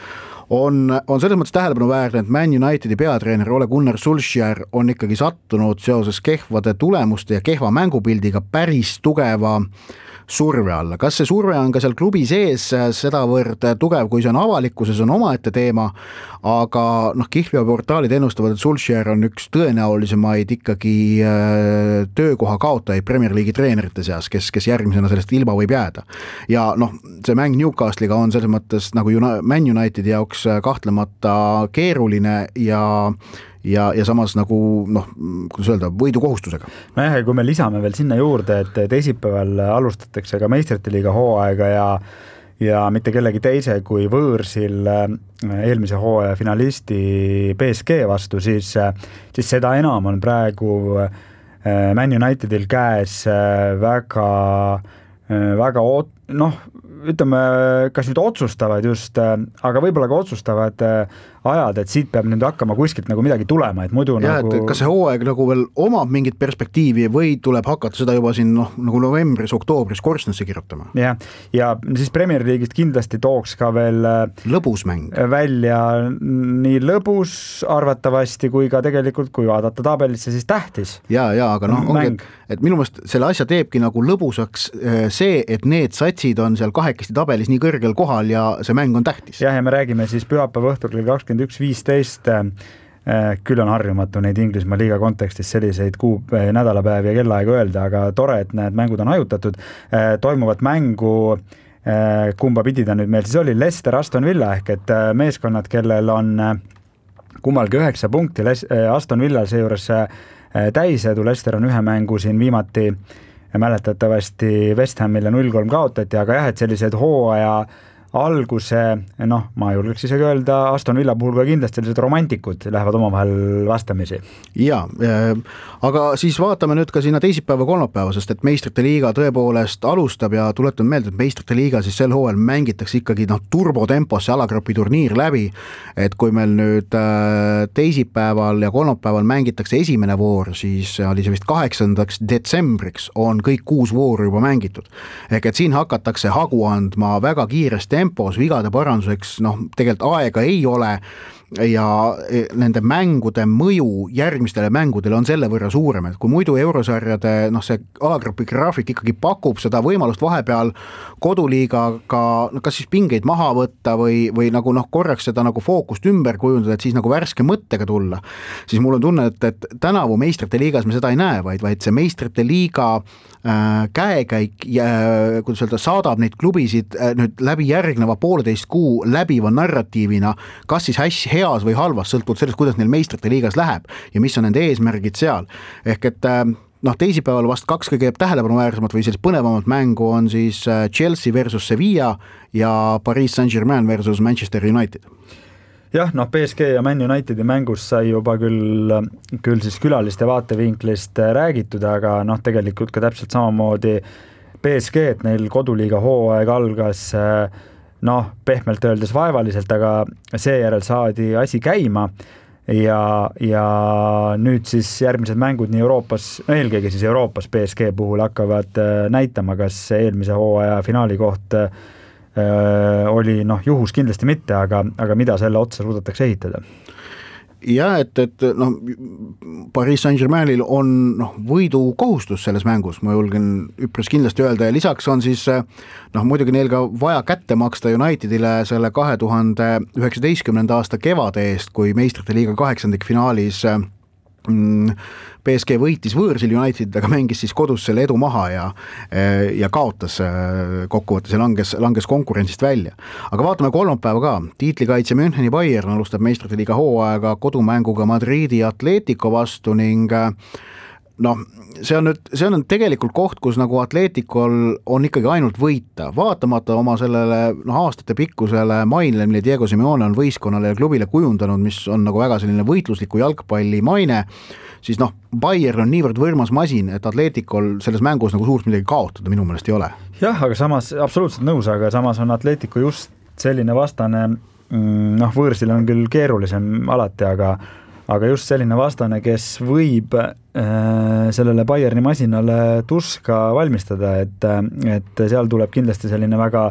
on selles mõttes tähelepanuväärne, et Man Unitedi peatreener Ole Gunnar Solskjaer on ikkagi sattunud seoses kehvade tulemuste ja kehva mängupildiga päris tugeva surve alla. Kas see surve on ka seal klubi sees sedavõrd tugev, kui see on avalikkuses, on omaette teema, aga Kihlveo portaalid ennustavad, et Solskjaer on üks tõenäolisemaid ikkagi töökoha kaotajaid Premier League'i treenerite seas, kes järgmisena sellest ilma võib jääda. Ja see mäng Newcastle'iga on selles mõttes nagu Man Unitedi jaoks kahtlemata keeruline ja samas nagu, kuidas öelda, võidukohustusega. Ja kui me lisame veel sinna juurde, et teisipäeval alustatakse ka meistrite liiga hooaega ja mitte kellegi teise kui võõrsil eelmise hooaja finalisti PSG vastu, siis seda enam on praegu Man Unitedil käes väga ütleme, kas nüüd otsustavad just, aga võib-olla ka otsustavad ajad, et siit peab nüüd hakkama kuskilt nagu midagi tulema, et muidu et kas see hooaeg nagu veel omab mingit perspektiivi või tuleb hakata seda juba siin nagu novembris, oktoobris korstnasse kirjutama? Ja siis Premier League'ist kindlasti tooks ka veel lõbusmäng välja nii lõbus arvatavasti kui ka tegelikult, kui vaadata tabelisse, siis tähtis. Aga ongi, et minu meelest selle asja teebki nagu lõbusaks see, et need satsid on seal kahekesti tabelis nii kõrgel kohal ja see mäng on tähtis. Ja me räägime siis pühapäeva õhtul kell 21.15, küll on harjumatu neid Inglismaa liiga kontekstis selliseid nädalapäevi ja kellaaega öelda, aga tore, et need mängud on hajutatud. Toimuvat mängu, kumba pidi ta nüüd meil siis oli, Leicester, Aston Villa, ehk et meeskonnad, kellel on kummalgi 9 punkti, Aston Villa seejuures täisedu, Leicester on ühe mängu siin viimati mäletatavasti West Hamile 0-3 kaotati, aga et sellised hooaja alguse, ma julgeks isegi öelda, Aston Villa puhul ka kindlasti sellised romantikud lähevad omavahel vastamisi. Aga siis vaatame nüüd ka sinna teisipäeva kolmapäeva, sest et meistrite liiga tõepoolest alustab ja tuletan meelde, et meistrite liiga siis sel hooajal mängitakse ikkagi turbotempos see alagrupi turniir läbi, et kui meil nüüd teisipäeval ja kolmapäeval mängitakse esimene voor, siis oli see vist 8. detsembriks on kõik 6 vooru juba mängitud. Ehk et siin hakatakse hagu andma väga kiiresti tempos, vigade paranduseks, tegelikult aega ei ole ja nende mängude mõju järgmistele mängudele on selle võrra suurem, et kui muidu eurosarjade see alagrupi graafik ikkagi pakub seda võimalust vahepeal koduliigaga kas siis pingeid maha võtta või nagu korraks seda nagu fookust ümber kujundada, et siis nagu värske mõttega tulla, siis mul on tunne, et tänavu meistrite liigas me seda ei näe, vaid see meistrite liiga käekäik ja kuidas öelda, saadab neid klubisid nüüd läbi järgneva 1,5 kuu läbiva narratiivina, kas siis heas või halvas, sõltuvalt sellest, kuidas neil meistrite liigas läheb ja mis on nende eesmärgid seal. Ehk et teisipäeval vast 2 kõige tähelepanuväärsemat või sellist põnevamat mängu on siis Chelsea versus Sevilla ja Paris Saint-Germain versus Manchester United. PSG ja Man Unitedi mängus sai juba küll siis külaliste vaatevinklist räägitud, aga tegelikult ka täpselt samamoodi PSG, et neil koduliiga hooaeg algas pehmelt öeldes vaevaliselt, aga seejärel saadi asi käima ja nüüd siis järgmised mängud nii Euroopas, eelkõige siis Euroopas PSG puhul hakkavad näitama, kas eelmise hooaja finaali koht oli juhus kindlasti mitte, aga mida selle otsa suudetakse ehitada. ja et noh, Paris Saint-Germainil on võidukohustus selles mängus, ma julgen üpris kindlasti öelda, ja lisaks on siis muidugi neil ka vaja kätte maksta Unitedile selle 2019. aasta kevade eest, kui meistrite liiga 8. finaalis PSG võitis võõrsil United, aga mängis siis kodus selle edu maha ja kaotas kokkuvõttes ja langes konkurentsist välja. Aga vaatame kolmapäeva ka. Tiitlikaitse Müncheni Bayern alustab meistrite liiga hooaega kodumänguga Madridi Atletico vastu ning see on tegelikult koht, kus nagu Atleticol on ikkagi ainult võita. Vaatamata oma sellele aastate pikkusele mainele, mille Diego Simeone on võistkonnale ja klubile kujundanud, mis on nagu väga selline võitlusliku jalgpalli maine, siis Bayern on niivõrd võrmas masin, et Atleticol selles mängus nagu suurt midagi kaotada minu meelest ei ole. Jah, aga samas, absoluutselt nõus, aga samas on Atletico just selline vastane, võõrsil on küll keerulisem alati, aga just selline vastane, kes võib sellele Bayerni masinale tuska valmistada, et seal tuleb kindlasti selline väga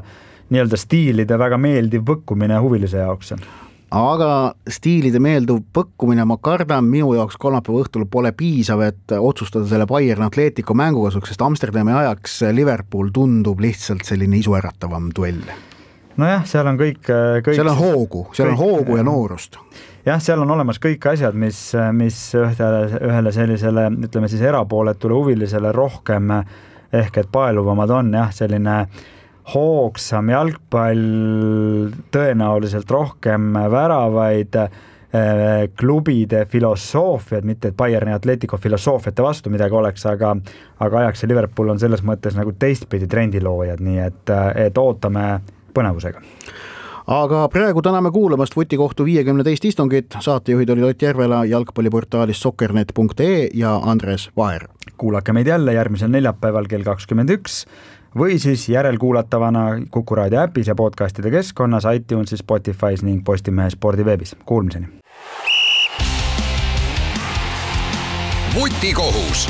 nii-öelda stiilide väga meeldiv põkkumine huvilise jaoks. Aga stiilide meelduv põkkumine, ma kardan, minu jaoks kolmapäeva õhtul pole piisav, et otsustada selle Bayern Atletico mängu kasuks, sest Amsterdami ajaks Liverpool tundub lihtsalt selline isuäratavam duell. Nojah, seal on kõik seal on hoogu ja noorust. Jah, seal on olemas kõik asjad, mis ühele sellisele, ütleme siis erapooletule huvilisele rohkem ehk et paeluvamad on, jah, selline hoogsam jalgpall, tõenäoliselt rohkem väravaid, klubide filosoofiad, mitte et Bayerni Atletico filosoofiate vastu midagi oleks, aga ajaks ja Liverpool on selles mõttes nagu teistpidi trendiloojad, nii et ootame põnevusega. Aga praegu täname kuulamast Vutikohtu 52 istungit. Saatejuhid oli Ott Järvela jalgpalliportaalis soccernet.ee ja Andres Vaher. Kuulake meid jälle järgmisel neljapäeval kell 21 või siis järelkuulatavana Kuku Raadio äpis ja podcastide keskkonnas, iTunesis, Spotify's ning Postimehe spordiveebis. Kuulmiseni. Vutikohus.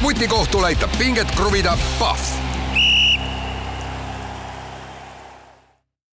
Vutikohtul aitab pinget kruvida Pahv.